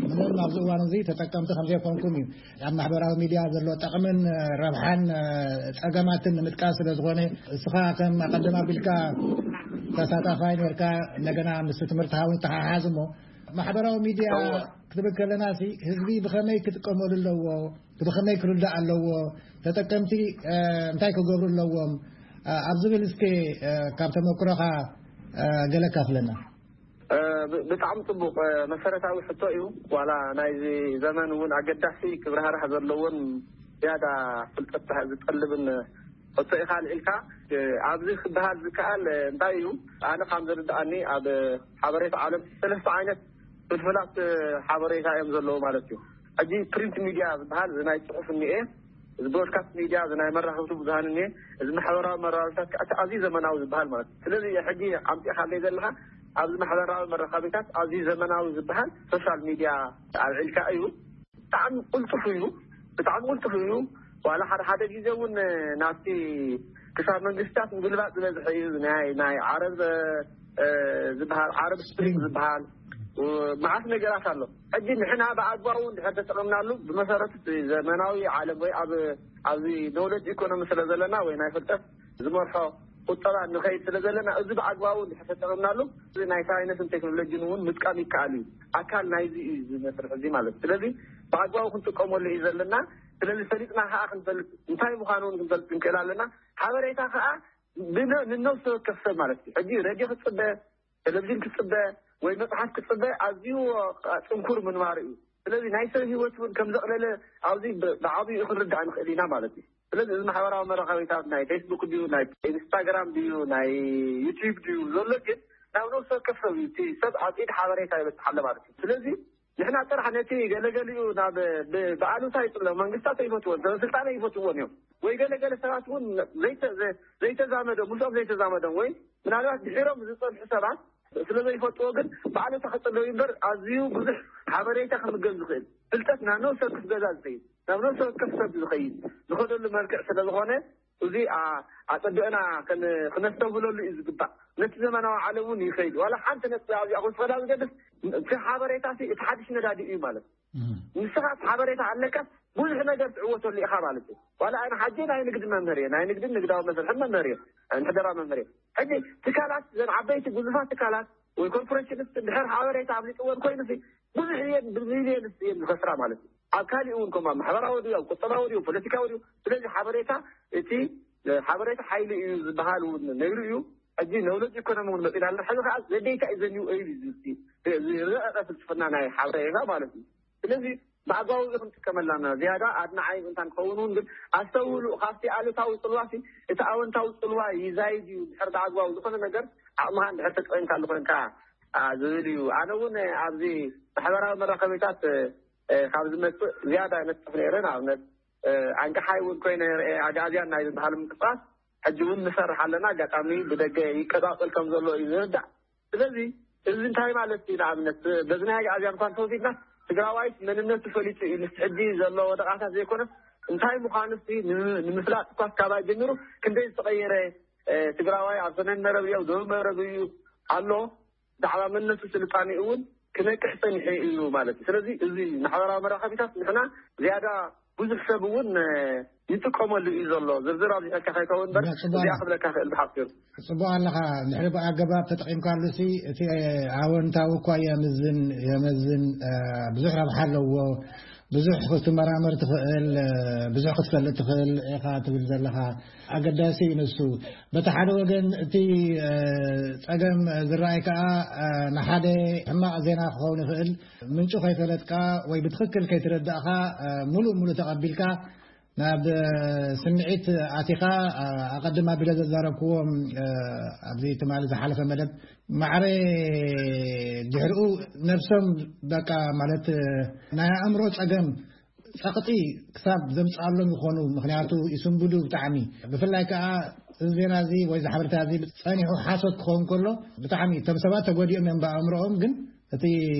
ምንም ኣብዚ እዋን እዚ ተጠቀምቲ ከም ዘይኮንኩም እዩ። ኣብ ማሕበራዊ ሚድያ ዘሎ ጠቕምን ረብሓን ጸገማትን ንምጥቃስ ስለ ዝኾነ፣ እስኻ ከም ኣቐድም ኣቢልካ ተሳታፋይ ነርካ፣ እንደገና ምስ ትምህርቲ ሃውን ተሓሓዝ እሞ፣ ማሕበራዊ ሚድያ እወ። ክትብል ከለና ሲ ህዝቢ ብኸመይ ክጥቀመሉ ኣለዎ፣ ብኸመይ ክርዳእ ኣለዎ፣ ተጠቀምቲ እንታይ ክገብሩ ኣለዎም ኣብ ዝብል እስከ ካብ ተመክሮኻ ገለ ካፍለና። ብጣዕሚ ጽቡቕ መሰረታዊ ሕቶ እዩ። ዋላ ናይዚ ዘመን እውን ኣገዳሲ ክብራህራህ ዘለዎን ዝያዳ ፍልጠት ዝጠልብን ሕቶ ኢኻ ኣልዒልካ። ኣብዚ ክበሃል ዝከኣል እንታይ እዩ? ኣነ ከም ዝርድኣኒ ኣብ ሓበሬታ ዓለም ሰለስተ ዓይነት ፍልፍላት ሓበሬታ እዮም ዘለዉ ማለት እዩ። ሕጂ ፕሪንት ሚድያ ዝበሃል እዚ ናይ ጽሑፍ እኒኤ፣ እዚ ብሮድካስት ሚድያ፣ እዚ ናይ መራኸብቲ ብዙሃን እኒኤ፣ እዚ ማሕበራዊ መራኸብታት ከዓ እቲ ኣዝዩ ዘመናዊ ዝበሃል ማለት እዩ። ስለዚ ሕጂ ኣምፂእካለይ ዘለካ ኣብዚ ማሕበራዊ መራኸቢታት ኣዝዩ ዘመናዊ ዝበሃል ሶሻል ሚድያ ኣልዒልካ እዩ። ብጣዕሚ ቅልጡፍ እዩ። ብጣዕሚ ቅልጡፍ እዩ። ዋላ ሓደ ሓደ ግዜ እውን ናብቲ ክሳብ መንግስታት ምግልባጥ ዝበዝሐ እዩ። ናይ ናይ ዓረብ ዝበሃል ዓረብ ስፕሪንግ ዝበሃል መዓት ነገራት ኣሎ። ሕጂ ንሕና ብኣግባቡ እንድሕር ተጠቐምናሉ ብመሰረቱ ዘመናዊ ዓለም ወይ ኣብ ኣብዚ ኖውለጅ ኢኮኖሚ ስለ ዘለና ወይ ናይ ፍልጠት ዝመርሖ ቁጠባ ንኸይድ ስለ ዘለና እዚ ብኣግባቡ እንድሕር ተጠቐምናሉ እዚ ናይ ሳይንስን ቴክኖሎጂን እውን ምጥቃም ይከኣል እዩ። ኣካል ናይዚ እዩ እዚ መስርሕ እዚ ማለት እዩ። ስለዚ ብኣግባቡ ክንጥቀመሉ እዩ ዘለና። ስለዚ ፈሊጥና ከዓ ክንፈልጥ እንታይ ምዃኑ እውን ክንፈልጥ ክንክእል ኣለና። ሓበሬታ ከዓ ንነብሲ ወከፍ ሰብ ማለት እዩ። ሕጂ ሬድዮ ክትፅበ፣ ቴሌቪዥን ክትፅበ ወይ መፅሓፍ ክትፅበ ኣዝዩ ፅንኩር ምንባሩ እዩ። ስለዚ ናይ ሰብ ሂወት እውን ከም ዘቕለለ ኣብዚ ብዓብዩ ክንርዳእ ንኽእል ኢና ማለት እዩ። ስለዚ እዚ ማሕበራዊ መራኸቢታት ናይ ፌስቡክ ድዩ ናይ ኢንስታግራም ድዩ ናይ ዩቲዩብ ድዩ ዘሎ ግን ናብ ነብሲ ወከፍ ሰብ እዩ። እቲ ሰብ ኣብ ኢድ ሓበሬታ ይበፅሓለ ማለት እዩ። ስለዚ ንሕና ጥራሕ ነቲ ገለገሊኡ ናብ ብኣሉታ ይፅሎ መንግስታት ኣይፈትዎን ሰበስልጣን ኣይፈትዎን እዮም። ወይ ገለገለ ሰባት እውን ዘይተዛመዶም ምስኦም ዘይተዛመዶም ወይ ምናልባት ድሒሮም ዝፀንሑ ሰባት ስለ ዘይፈትዎ ግን ባዕሉ ተኸፀለዊ እምበር ኣዝዩ ብዙሕ ሓበሬታ ክምገብ ዝኽእል ፍልጠት ናብ ነብሰ ወከፍ ገዛ ዝኸይድ ናብ ነብሰ ወከፍ ሰብ ዝኸይድ ዝኸደሉ መልክዕ ስለ ዝኾነ እዚ ኣፀቢቕና ክነስተብህለሉ እዩ ዝግባእ። ነቲ ዘመናዊ ዓለም እውን ይኸይድ ዋላ ሓንቲ ነጥቢ ኣብዚኣ ክወስኸላ ዝገድፍ እቲ ሓበሬታ እቲ ሓድሽ ነዳዲ እዩ ማለት ንስኻ እቲ ሓበሬታ ኣለካ ብዙሕ ነገር ትዕወተሉ ኢኻ ማለት እዩ። ዋላ ኣነ ሓጂ ናይ ንግዲ መምህር እየ ናይ ንግድን ንግዳዊ መስርሕን መምህር እየ። ምሕደራ መምህር እየ። ሕጂ ትካላት ዘን ዓበይቲ ጉዙፋት ትካላት ወይ ኮርፖሬሽንስ ድሕር ሓበሬታ ኣብሊጥወን ኮይኑ ብዙሕ እየን ብሚልዮንስ እየን ዝኸስራ ማለት እዩ። ኣብ ካሊእ እውን ከም ኣብ ማሕበራዊ ድዩ ኣብ ቁጠባዊ ድዩ ፖለቲካዊ ድዩ ስለዚ ሓበሬታ እቲ ሓበሬታ ሓይሊ እዩ ዝበሃል እውን ነይሩ እዩ። ሕጂ ነውለጅ ኢኮኖሚ እውን መፂና ኣለና ሕዚ ከዓ ዘደይታ እዩ ዘኒው እዩ ዝረቀቀ ፍልስፍና ናይ ሓበሬታ ማለት እዩ። ስለዚ ብኣግባቡ እዚ ክንጥቀመላ ዝያዳ ኣድናዓይ እንታ ንኸውን እውን ግን ኣስተውሉ ካብቲ ኣሉታዊ ፅልዋሲ እቲ ኣወንታዊ ፅልዋ ይዛይድ እዩ ድሕር ብኣግባቡ ዝኾነ ነገር ዓቕምኻ እንድሕር ተጠቂምካ ኣለኮንካ ዝብል እዩ። ኣነ እውን ኣብዚ ማሕበራዊ መራኸቢታት ካብ ዝመፅእ ዝያዳ ነጥፍ ነይረ ንኣብነት ኣንቀሓይ እውን ኮይነ ርአ ኣግኣዝያን ናይ ዝበሃል ምንቅስቃስ ሕጂ እውን ንሰርሕ ኣለና ኣጋጣሚ ብደገ ይቀፃፀል ከም ዘሎ እዩ ዝርዳእ። ስለዚ እዚ እንታይ ማለት እዩ ንኣብነት በዚ ናይ ኣግኣዝያን እኳ እንተወሲድና ትግራዋይስ መንነቱ ፈሊጡ እዩ ምስ ሕጂ ዘሎ ወደቃታት ዘይኮነስ እንታይ ምዃኑ ስ ንምፍላጥ እኳ ካብ ኣጀሚሩ ክንደይ ዝተቀየረ ትግራዋይ ኣብ ሰሜን መረብ እዩ ኣብ ደቡብ መረብ እዩ ኣሎ ብዛዕባ መንነቱ ስልጣኔ እውን ክነቅሕ ፀኒሐ እዩ ማለት እዩ። ስለዚ እዚ ማሕበራዊ መራኸቢታት ንሕና ዝያዳ ብዙሕ ሰብ እውን ይጥቀመሉ እዩ ዘሎ ዝርዝር ኣብዚሐልካ ከይከውን በር እዚኣ ክብለካ ክእል ብሓፂሩ። ፅቡቅ ኣለኻ። ንሕሪ ብኣገባብ ተጠቂምካሉ ሲ እቲ ኣወንታዊ እኳ የምዝን የመዝን ብዙሕ ረብሓ ኣለዎ። ብዙሕ ክትመራመር ትኽእል፣ ብዙሕ ክትፈልጥ ትኽእል ኢኻ ትብል ዘለኻ። ኣገዳሲ እዩ ንሱ። በቲ ሓደ ወገን እቲ ጸገም ዝረኣይ ከኣ ንሓደ ሕማቕ ዜና ክኸውን ይኽእል። ምንጩ ከይፈለጥካ ወይ ብትኽክል ከይተረዳእካ፣ ሙሉእ ሙሉእ ተቐቢልካ ናብ ስምዒት ኣቲኻ፣ ኣቐድም ኣቢለ ዘዛረብክዎም ኣብዚ ትማሊ ዝሓለፈ መደብ ማዕረ ድሕሪኡ ነብሶም በቃ ማለት ናይ ኣእምሮ ጸገም ጸቕጢ ክሳብ ዘምጽኣሎም ይኾኑ። ምኽንያቱ ይስንብዱ ብጣዕሚ። ብፍላይ ከኣ እዚ ዜና እዚ ወይ እዚ ሓበሬታ እዚ ጸኒሑ ሓሶት ክኸውን ከሎ ብጣዕሚ እቶም ሰባት ተጎዲኦም እዮም ብኣእምሮኦም፣ ግን እቲ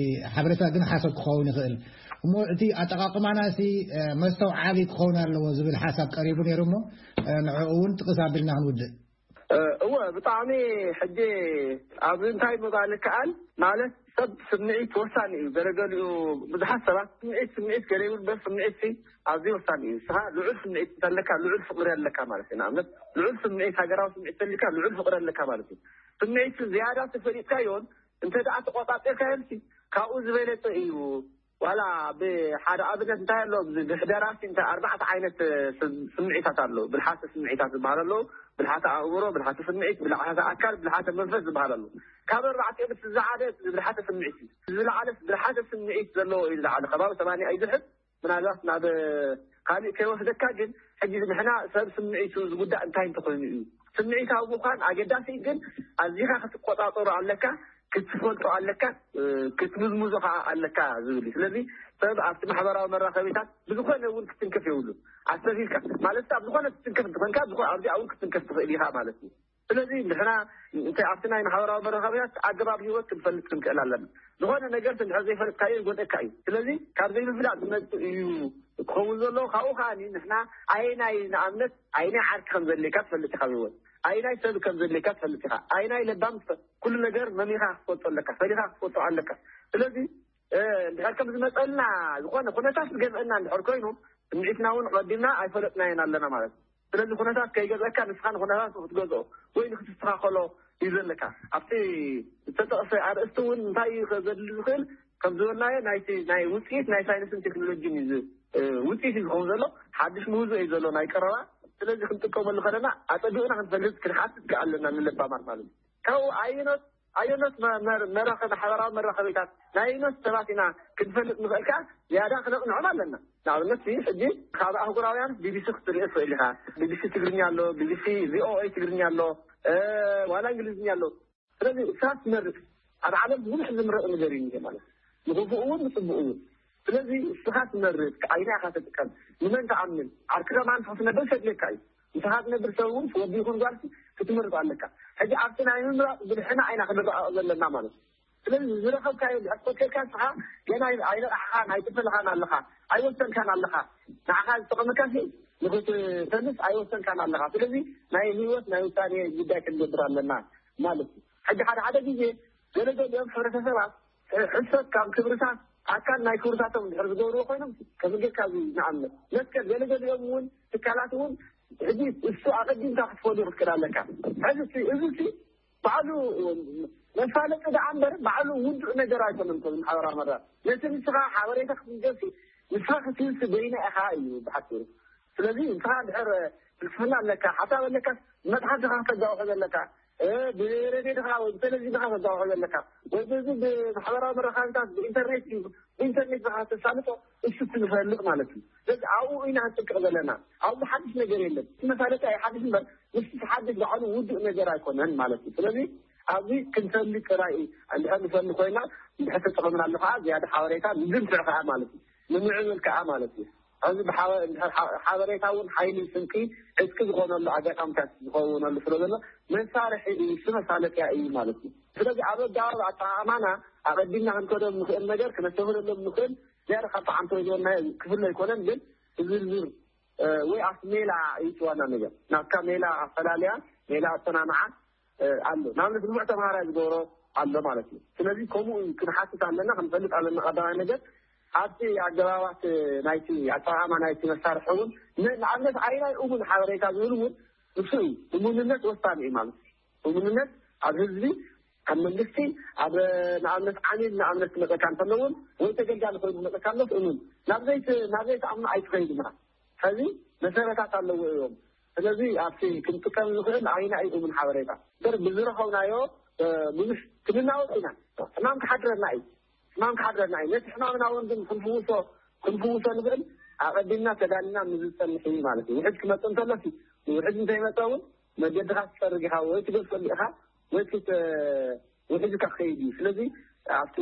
ሓበሬታ ግን ሓሶት ክኸውን ይኽእል። እሞ እቲ ኣጠቓቕማና ሲ መስተውዓሊ ክኸውን ኣለዎ ዝብል ሓሳብ ቀሪቡ ነይሩ። እሞ ንዕኡ እውን ጥቕስ ኣቢልና ክንውድእ። እወ፣ ብጣዕሚ ሕጂ ኣብዚ እንታይ ምባል ይከኣል ማለት ሰብ ስምዒት ወሳኒ እዩ። ገለገሊኡ ብዙሓት ሰባት ስምዒት ስምዒት ገለ ይብል፣ በስ ስምዒት ሲ ኣዝዩ ወሳኒ እዩ። ንስኻ ልዑል ስምዒት እንተለካ ልዑል ፍቕሪ ኣለካ ማለት እዩ። ንኣብነት ልዑል ስምዒት ሃገራዊ ስምዒት እንተልካ ልዑል ፍቕሪ ኣለካ ማለት እዩ። ስምዒት ዝያዳ ተፈሊጥካዮን እንተ ደኣ ተቆጻጺርካዮን ሲ ካብኡ ዝበለጸ እዩ። ዋላ ብሓደ ኣብነት እንታይ ኣሎ፣ ብሕደራ ሲ እንታይ ኣርባዕተ ዓይነት ስምዒታት ኣሎ። ብልሓተ ስምዒታት ዝበሃል ኣሎ፣ ብልሓተ ኣእምሮ፣ ብልሓተ ስምዒት፣ ብልሓተ ኣካል፣ ብልሓተ መንፈስ ዝበሃል ኣሎ። ካብ ኣርባዕቲኦም እቲ ዝዓበየ እቲ ብልሓተ ስምዒት እዩ። ዝለዓለ ብልሓተ ስምዒት ዘለዎ እዩ፣ ዝለዓለ ከባቢ ሰማንያ እዩ ዝሕዝ። ምናልባት ናብ ካልእ ከይወስደካ፣ ግን ሕጂ ንሕና ሰብ ስምዒቱ ዝጉዳእ እንታይ እንተኾይኑ እዩ። ስምዒታዊ ምዃን ኣገዳሲ እዩ፣ ግን ኣዚኻ ክትቆጻጸሮ ኣለካ፣ ክትፈልጦ ኣለካ፣ ክትምዝምዞ ከዓ ኣለካ ዝብል እዩ። ስለዚ ሰብ ኣብቲ ማሕበራዊ መራኸቢታት ብዝኾነ እውን ክትንከፍ የብሉ። ኣስተፊልካ ማለት ኣብ ዝኾነ ክትንከፍ እንተኾንካ ኣብዚኣ እውን ክትንከፍ ትኽእል ኢኻ ማለት እዩ። ስለዚ ንሕና እንታይ ኣብቲ ናይ ማሕበራዊ መራኸቢታት ኣገባብ ህይወት ክንፈልጥ ክንክእል ኣለና። ዝኾነ ነገር እንድሕር ዘይፈልጥካዮ ይጎድእካ እዩ። ስለዚ ካብ ዘይምፍላጥ ዝመጽእ እዩ ክኸውን ዘለዎ። ካብኡ ከኣ ንሕና ኣይናይ ንኣብነት ኣይናይ ዓርኪ ከም ዘድልየካ ትፈልጥ ኢኻ፣ ህይወት ኣይናይ ሰብ ከም ዘድልየካ ትፈልጥ ኢኻ። ኣይናይ ለባም ትፈ- ኩሉ ነገር መሚኻ ክትፈልጦ ኣለካ፣ ፈሊኻ ክትፈልጦ ኣለካ። ስለዚ እንድሕር ከም ዝመጸልና ዝኾነ ኩነታት ዝገዝአና እንድሕር ኮይኑ ስምዒትና እውን ቀዲምና ኣይፈለጥናዮን ኣለና ማለት እዩ። ስለዚ ኩነታት ከይገዝአካ ንስኻ ንኩነታት ክትገዝኦ ወይ ንክትስተኻኸሎ እዩ ዘለካ። ኣብቲ ዝተጠቕሰ ኣርእስቲ እውን እንታይ እዩ ዘድሊ ዝኽእል ከም ዝበልናዮ ናይቲ ናይ ውፅኢት ናይ ሳይንስን ቴክኖሎጂን እዩ ዝ- ውፅኢት እዩ ዝኸውን ዘሎ። ሓድሽ ምህዞ እዩ ዘሎ ናይ ቀረባ። ስለዚ ክንጥቀመሉ ከለና ኣፀቢቕና ክንፈልጥ ክንሓትት ከኣለና ንለባማት ማለት እዩ። ካብኡ ኣየኖት ኣየኖት መራኸቢ ማሕበራዊ መራኸቢታት ናይ ኣየኖት ሰባት ኢና ክንፈልጥ ንኽእል ከኣ ዝያዳ ክነቕንዖም ኣለና። ንኣብነት ሕጂ ካብ ኣህጉራውያን ቢቢሲ ክትርኢ ትኽእል ኢኻ። ቢቢሲ ትግርኛ ኣሎ፣ ቢቢሲ ቪኦኤ ትግርኛ ኣሎ፣ ዋላ እንግሊዝኛ ኣሎ። ስለዚ እሳ ትመርጥ ኣብ ዓለም ብዙሕ ዝምረጥ ነገር እዩ ማለት ንኽፉእ እውን ንፅቡቅ እውን። ስለዚ እስኻ ትመርጥ ኣይና ኢኻ ትጥቀም። ንመን ትኣምን? ዓርክኻ ማን ክትነብር ከድልየካ እዩ። ንስኻ ትነብር ሰብ እውን ወዲ ይኹን ጓልሲ ክትመርጥ ኣለካ። ሕጂ ኣብቲ ናይ ምምራፅ ብልሕና ኣይና ክንረኣቕ ዘለና ማለት እዩ። ስለዚ ዝረኸብካዮ ድሕር ኮቴልካ ንስኻ ገና ኣይነቃሕኻን ኣይተፈልኻን ኣለኻ፣ ኣይወሰንካን ኣለኻ። ንዓኻ ዝጠቐመካ ንክትፈልስ ኣይወሰንካን ኣለኻ። ስለዚ ናይ ህይወት ናይ ውሳኔ ጉዳይ ክንገብር ኣለና ማለት እዩ። ሕጂ ሓደ ሓደ ግዜ ገለገሊኦም ሕብረተሰባት ሕሰት ካብ ክብርታት ኣካል ናይ ክብርታቶም ድሕር ዝገብርዎ ኮይኖም ከፍግርካ ንኣብነት መስቀል ገለገሊኦም እውን ትካላት እውን ሕጂ እሱ ኣቐዲምካ ክትፈልዩ ክትክእል ኣለካ። ሕዚ እዚ ባዕሉ መፋለጢ ደኣ እምበር ባዕሉ ውዱእ ነገር ኣይኮነን። ከዚ ማሕበራዊ መራ ነቲ ንስኻ ሓበሬታ ክትገብሲ ንስኻ ክትህብሲ በይና ኢኻ እዩ ብሓፂሩ። ስለዚ ንስኻ ድሕር ፍልስፍና ኣለካ፣ ሓሳብ ኣለካ፣ መፅሓፍ ድኻ ከተጋውሖ ዘለካ፣ ብሬድዮ ድኻ ወይ ብቴሌቪዥን ድኻ ከተጋውሖ ዘለካ ወይ በዚ ብማሕበራዊ መራኸቢታት ብኢንተርኔት እዩ ብኢንተርኔት ድኻ ተሳልጦ እሱ ትንፈልጥ ማለት እዩ። ስለዚ ኣብኡ ኢና ክንጥንቀቕ ዘለና። ኣብዚ ሓድሽ ነገር የለን። እቲ መፋለጢ ኣይሓድሽ እምበር ምስቲ ሓድሽ ባዕሉ ውዱእ ነገር ኣይኮነን ማለት እዩ። ስለዚ ኣብዚ ክንፈልጥ ጥራይ እንድሕር ንፈሊ ኮይና እንድሕር ተጠቐምናሉ ከዓ ዝያዳ ሓበሬታ ንድንፍዕ ከዓ ማለት እዩ። ንምዕብል ከዓ ማለት እዩ። ኣብዚ ሓበሬታ እውን ሓይሊ ስንቂ ዕጥቂ ዝኾነሉ ኣጋጣሚታት ዝኸውነሉ ስለ ዘሎ መሳርሒ እዩ፣ እሱ መሳለጥያ እዩ ማለት እዩ። ስለዚ ኣብ ኣገባብ ኣጠቓቕማና ኣቐዲምና ክንከዶም ንኽእል ነገር ክነስተብህለሎም ንኽእል ዝያዳ ካብ ተዓንቶ ዝበልናዮ ክፍለ ኣይኮነን፣ ግን ዝርዝር ወይ ኣብቲ ሜላ እዩ እቲ ዋና ነገር። ናትካ ሜላ ኣፈላልያ ሜላ ኣሰማምዓ ኣሎ። ንኣብነት ንፉዕ ተምሃራይ ዝገብሮ ኣሎ ማለት እዩ። ስለዚ ከምኡ እዩ ክንሓትት ኣለና፣ ክንፈልጥ ኣለና። ቀዳማይ ነገር ኣብቲ ኣገባባት ናይቲ ኣጠቓቕማ ናይቲ መሳርሒ እውን ንኣብነት ኣይናይ እሙን ሓበሬታ ዝብል እውን ንሱ እዩ። እሙንነት ወሳኒ እዩ ማለት እዩ። እሙንነት ኣብ ህዝቢ ካብ መንግስቲ ኣብ ንኣብነት ዓሚል ንኣብነት ክመፀካ እንተለውን ወይ ተገልጋሊ ኮይኑ ክመፀካ ኣሎስ እሙን ናብ ዘይት ናብ ዘይትኣምኑ ኣይትኸይድ ኢኻ። ሕዚ መሰረታት ኣለዎ እዮም። ስለዚ ኣብቲ ክንጥቀም ንኽእል ኣይና እዩ እሙን ሓበሬታ እምበር ብዝረኸብናዮ ብዙሕ ክንናወጥ ኢና። ሕማም ክሓድረና እዩ። ሕማም ክሓድረና እዩ። ነቲ ሕማምና እውን ግን ክንፍውሶ ክንፍውሶ ንኽእል ኣቐዲምና ተዳሊና ምዝፀንሕ እዩ ማለት እዩ። ውሕጅ ክመፅእ እንተሎሲ ውሕጅ እንተይመፀ እውን መገድኻ ትፀርግ ኢኻ ወይ ትገድፈሉ ኢኻ ወይ ውሕጅካ ክኸይድ እዩ። ስለዚ ኣብቲ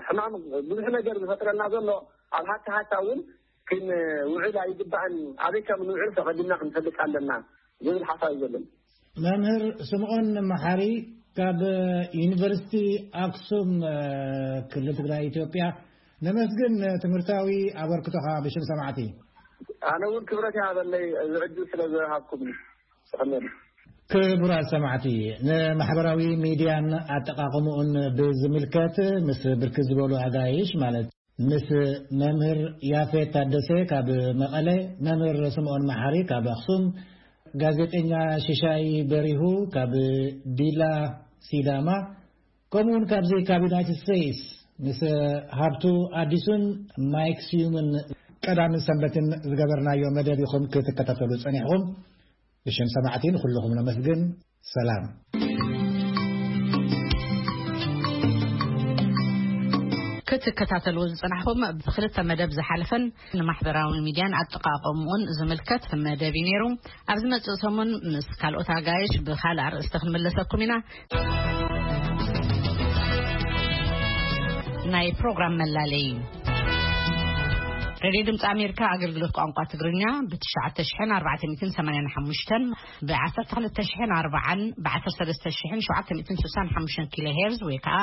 ሕማም ብዙሕ ነገር ዝፈጥረና ዘሎ ኣብ ሃታ ሃታ እውን ክንውዕል ኣይግባእን። ኣበይ ከም ንውዕል ፈቐድና ክንፈልጥ ኣለና ዝብል ሓሳብ እዩ ዘለኒ። መምህር ስምዖን መሓሪ ካብ ዩኒቨርሲቲ ኣክሱም ክልል ትግራይ ኢትዮጵያ፣ ነመስግን ትምህርታዊ ኣበርክቶኻ ብሽም ሰማዕቲ። ኣነ እውን ክብረት ይሃበለይ እዚ ዕድል ስለ ዝሃብኩም። ክቡራት ሰማዕቲ፣ ንማሕበራዊ ሚድያን ኣጠቓቕምኡን ብዝምልከት ምስ ብርክት ዝበሉ ኣጋይሽ ማለት ምስ መምህር ያፌት ታደሰ ካብ መቐለ፣ መምህር ስምዖን መሓሪ ካብ ኣኽሱም፣ ጋዜጠኛ ሽሻይ በሪሁ ካብ ዲላ ሲዳማ፣ ከምኡውን ካብዚ ካብ ዩናይትድ ስቴትስ ምስ ሃብቱ ኣዲሱን ማይክ ስዩምን ቀዳምን ሰንበትን ዝገበርናዮ መደብ ኢኹም ክትከታተሉ ጸኒሕኹም። ብሽም ሰማዕቲ ንኹልኹም ነመስግን። ሰላም። ክትከታተልዎ ዝጸናሕኹም ብክልተ መደብ ዝሓለፈን ንማሕበራዊ ሚድያን ኣጠቓቕምኡን ዝምልከት መደብ እዩ ነይሩ። ኣብ ዝመጽእ ሰሙን ምስ ካልኦት ኣጋይሽ ብኻልእ ኣርእስቲ ክንምለሰኩም ኢና። ናይ ፕሮግራም መላለይ። ሬድዮ ድምፂ ኣሜሪካ ኣገልግሎት ቋንቋ ትግርኛ ብትሽዓተ ሽሕን ኣርባዕተ ሚእትን ሰማንያን ሓሙሽተን፣ ብዓሰርተ ክልተ ሽሕን ኣርባዓን፣ ብዓሰርተ ሰለስተ ሽሕን ሸውዓተ ሚእትን ስሳን ሓሙሽተን ኪሎ ሄርዝ ወይ ከዓ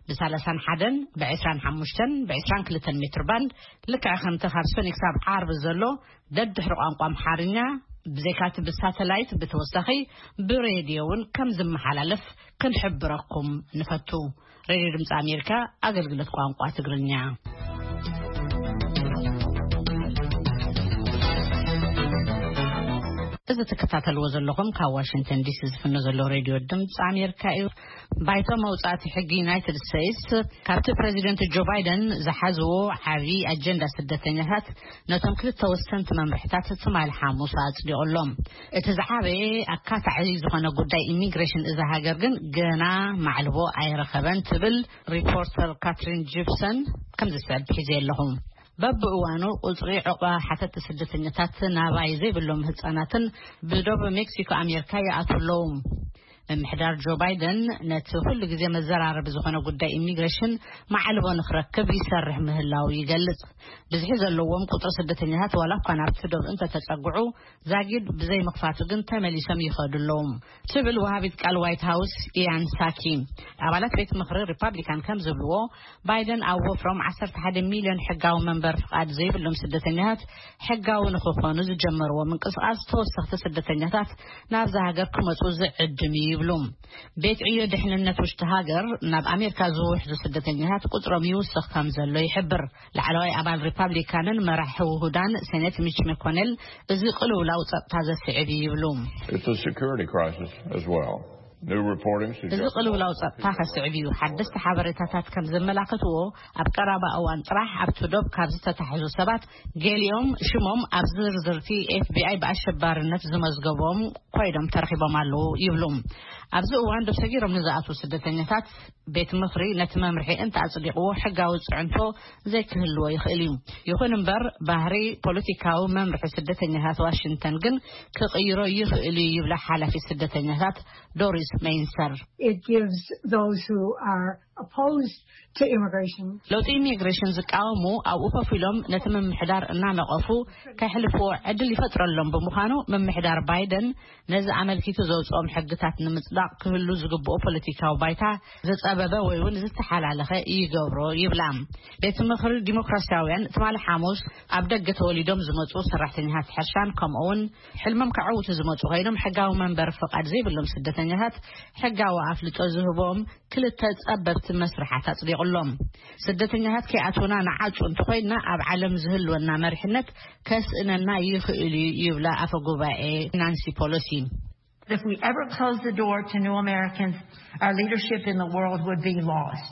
ብሳላሳን ሓደን፣ ብዕስራን ሓሙሽተን፣ ብዕስራን ክልተን ሜትር ባንድ ልክዕ ከምቲ ካብ ሰኒ ክሳብ ዓርቢ ዘሎ ደድሕሪ ቋንቋ ኣምሓርኛ ብዘይካቲ ብሳተላይት ብተወሳኺ ብሬድዮ እውን ከም ዝመሓላለፍ ክንሕብረኩም ንፈቱ። ሬድዮ ድምፂ ኣሜሪካ ኣገልግሎት ቋንቋ ትግርኛ። እዚ ትከታተልዎ ዘለኹም ካብ ዋሽንግተን ዲሲ ዝፍኖ ዘሎ ሬድዮ ድምፂ ኣሜሪካ እዩ። ባይቶ መውጻእቲ ሕጊ ዩናይትድ ስቴትስ ካብቲ ፕሬዚደንት ጆ ባይደን ዝሓዝዎ ዓቢ ኣጀንዳ ስደተኛታት ነቶም ክልተ ወሰንቲ መምርሕታት ትማሊ ሓሙስ ኣጽዲቑሎም። እቲ ዝዓበየ ኣካታዒ ዝኾነ ጉዳይ ኢሚግሬሽን እዛ ሃገር ግን ገና ማዕልቦ ኣይረኸበን ትብል ሪፖርተር ካትሪን ጂፕሰን። ከምዚ ዝስዕብ ሒዘ ኣለኹ። በብእዋኑ ቁጽሪ ዕቑባ ሓተቲ ስደተኛታት ናባይ ዘይብሎም ህጻናትን ብዶብ ሜክሲኮ ኣሜሪካ ይኣትዉ ኣለዉ። ምምሕዳር ጆ ባይደን ነቲ ኩሉ ግዜ መዘራረቢ ዝኾነ ጉዳይ ኢሚግሬሽን ማዕልቦ ንክረክብ ይሰርሕ ምህላው ይገልጽ። ብዝሒ ዘለዎም ቁጽሪ ስደተኛታት ዋላ እኳ ናብቲ ዶብ እንተተጸግዑ ዛጊድ ብዘይ ምኽፋቱ ግን ተመሊሶም ይኸዱ ኣለዉ ትብል ወሃቢት ቃል ዋይት ሃውስ ኢያን ሳኪ። ኣባላት ቤት ምኽሪ ሪፓብሊካን ከም ዝብልዎ ባይደን ኣብ ወፍሮም ዓሰርተ ሓደ ሚልዮን ሕጋዊ መንበር ፍቓድ ዘይብሎም ስደተኛታት ሕጋዊ ንክኾኑ ዝጀመርዎ ምንቅስቃስ ተወሰኽቲ ስደተኛታት ናብዛ ሃገር ክመፁ ዝዕድም እዩ ይብሉ። ቤት ዕዮ ድሕንነት ውሽጢ ሃገር ናብ ኣሜሪካ ዝውሕዙ ስደተኛታት ቁፅሮም ይውስኽ ከም ዘሎ ይሕብር። ላዕለዋይ ኣባል ሪፓብሊካንን መራሒ ውሁዳን ሴኔት ሚች መኮኔል እዚ ቅልውላው ፀጥታ ዘስዕብ እዩ ይብሉ። It's a security crisis as well. New reporting እዚ suggests ቅልውላው ጸጥታ ከስዕብ እዩ። ሓደስቲ ሓበሬታታት ከም ዘመላኽትዎ ኣብ ቀረባ እዋን ጥራሕ ኣብቲ ዶብ ካብ ዝተታሕዙ ሰባት ገሊኦም ሽሞም ኣብ ዝርዝርቲ ኤፍቢኣይ ብኣሸባርነት ዝመዝገቦም ኮይኖም ተረኺቦም ኣለዉ ይብሉ። ኣብዚ እዋን ዶብ ሰጊሮም ንዝኣትዉ ስደተኛታት ቤት ምኽሪ ነቲ መምርሒ እንተ ኣጽዲቕዎ ሕጋዊ ጽዕንቶ ዘይክህልዎ ይኽእል እዩ። ይኹን እምበር ባህሪ ፖለቲካዊ መምርሒ ስደተኛታት ዋሽንግተን ግን ክቕይሮ ይኽእል እዩ ይብላ ሓላፊት ስደተኛታት ዶሪስ ሜይንሰር። It gives those who are opposed to immigration ለውጢ ኢሚግሬሽን ዝቃወሙ ኣብኡ ኮፍ ኢሎም ነቲ ምምሕዳር እናነቐፉ ከሕልፍዎ ዕድል ይፈጥረሎም ብምዃኑ ምምሕዳር ባይደን ነዚ ኣመልኪቱ ዘውፅኦም ሕግታት ንምፅዳቕ ክህሉ ዝግብኦ ፖለቲካዊ ባይታ ዝፀበበ ወይ እውን ዝተሓላለኸ ይገብሮ ይብላ። ቤት ምኽሪ ዲሞክራሲያውያን ትማሊ ሓሙስ ኣብ ደገ ተወሊዶም ዝመፁ ሰራሕተኛታት ሕርሻን ከምኡ እውን ሕልሞም ከዐውቱ ዝመፁ ኮይኖም ሕጋዊ መንበሪ ፍቓድ ዘይብሎም ስደተኛታት ሕጋዊ ኣፍልጦ ዝህቦም ክልተ ጸበብቲ መስርሓት ኣጽዲቑሎም። ስደተኛታት ከይኣትውና ንዓጹ እንተኾይንና ኣብ ዓለም ዝህልወና መሪሕነት ከስእነና ይኽእል እዩ ይብላ ኣፈ ጉባኤ ናንሲ ፖሎሲ። If we ever close the door to new Americans, our leadership in the world would be lost.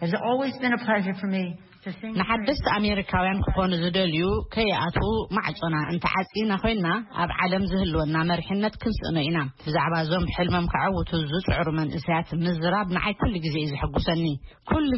It's always been a pleasure for me to sing. ንሓደስቲ ኣሜሪካውያን ክኾኑ ዝደልዩ ከይኣትዉ ማዕጾና እንተዓጺና ኮይንና፣ ኣብ ዓለም ዝህልወና መሪሕነት ክንስእኖ ኢና። ብዛዕባ እዞም ሕልሞም ከዐውቱ ዝጽዕሩ መንእሰያት ምዝራብ ንዓይ ኩሉ ግዜ እዩ ዘሐጉሰኒ። ኩሉ